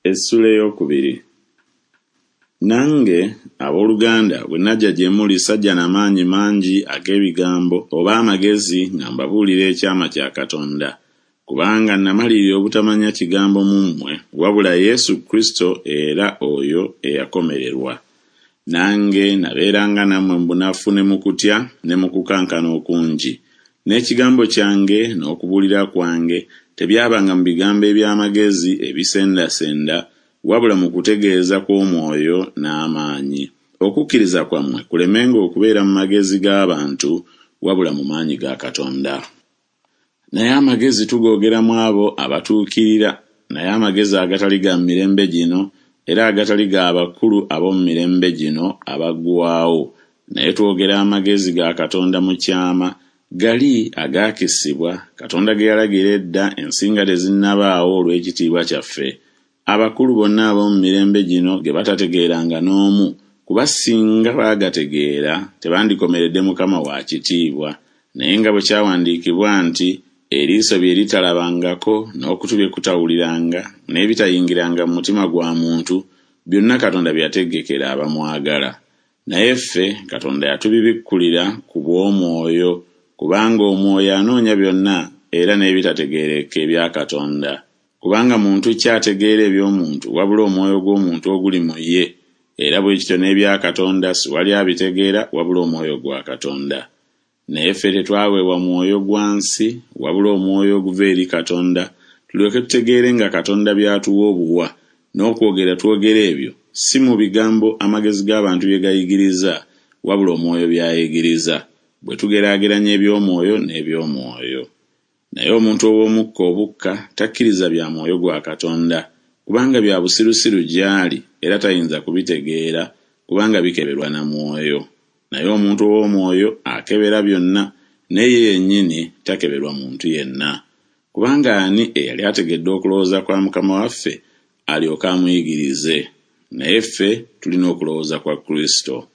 Essula eyokubiri. Nange, abooluganda, bwe najja gye muli sajja na maanyi mangi ag'ebigambo oba amagezi nga mbabuulira ekyama kya Katonda. Kubanga namalirira obutamanya kigambo mu mmwe wabula Yesu Kristo era oyo eyakomererwa. Nange nabeeranga nammwe mu bunafu ne mu kutya ne mu kukankana okungi. N'ekigambo kyange n'okubuulira kwange tebyabanga mu bigambo eby'amagezi ebisendasenda, wabula mu kutegeeza kw'omwoyo n'amaanyi, okukkiriza kwammwe kulemenga okubeera mu magezi g'abantu, wabula mu maanyi ga Katonda. Naye amagezi tugoogera mu abo abatuukirira, naye amagezi agatali ga mu mirembe gino, era agatali ga bakulu ab'omu mirembe gino abaggwaawo, naye twogera amagezi ga Katonda mu kyama, gali agaakisibwa, Katonda ge yalagira edda ensi nga tezinnabaawo olw'ekitiibwa kyaffe, abakulu bonna ab'omu mirembe gino ge batategeeranga n'omu, kuba singa baagategeera tebandikomeredde Mukama wa kitiibwa. Naye nga bwe kyawandiikibwa nti, Eriiso bye litalabangako, n'okutu bye kutawuliranga, n'ebitayingiranga mu mutima gwa muntu, byonna Katonda bye yategekera abamwagala. Naye ffe Katonda yatubibikkulira ku bw'Omwoyo, kubanga Omwoyo anoonya byonna, era n'ebitategeerekeka ebya Katonda. Kubanga muntu ki ategeera eby'omuntu wabula omwoyo gw'omuntu oguli mu ye? Era bwe kityo n'ebya Katonda siwali abitegeera wabula Omwoyo gwa Katonda. Naye ffe tetwaweebwa mwoyo gwa nsi, wabula Omwoyo oguva eri Katonda, tulyoke tutegeere nga Katonda by'atuwa obuwa, n'okwogera twogera ebyo, si mu bigambo amagezi g'abantu bye gayigiriza, wabula Omwoyo by'ayigiriza, bwe tugeraageranya eby'omwoyo n'eby'omwoyo. Naye omuntu ow'omukka obukka takkiriza bya Mwoyo gwa Katonda, kubanga bya busirusiru gy'ali, era tayinza kubitegeera, kubanga bikeberwa na Mwoyo. Naye omuntu ow'omwoyo akebera byonna, naye ye yennyini takeberwa muntu yenna. Kubanga ani eyali ategedde okulowooza kwa Mukama waffe, alyoke amuyigirize? Naye ffe tulina okulowooza kwa Kristo.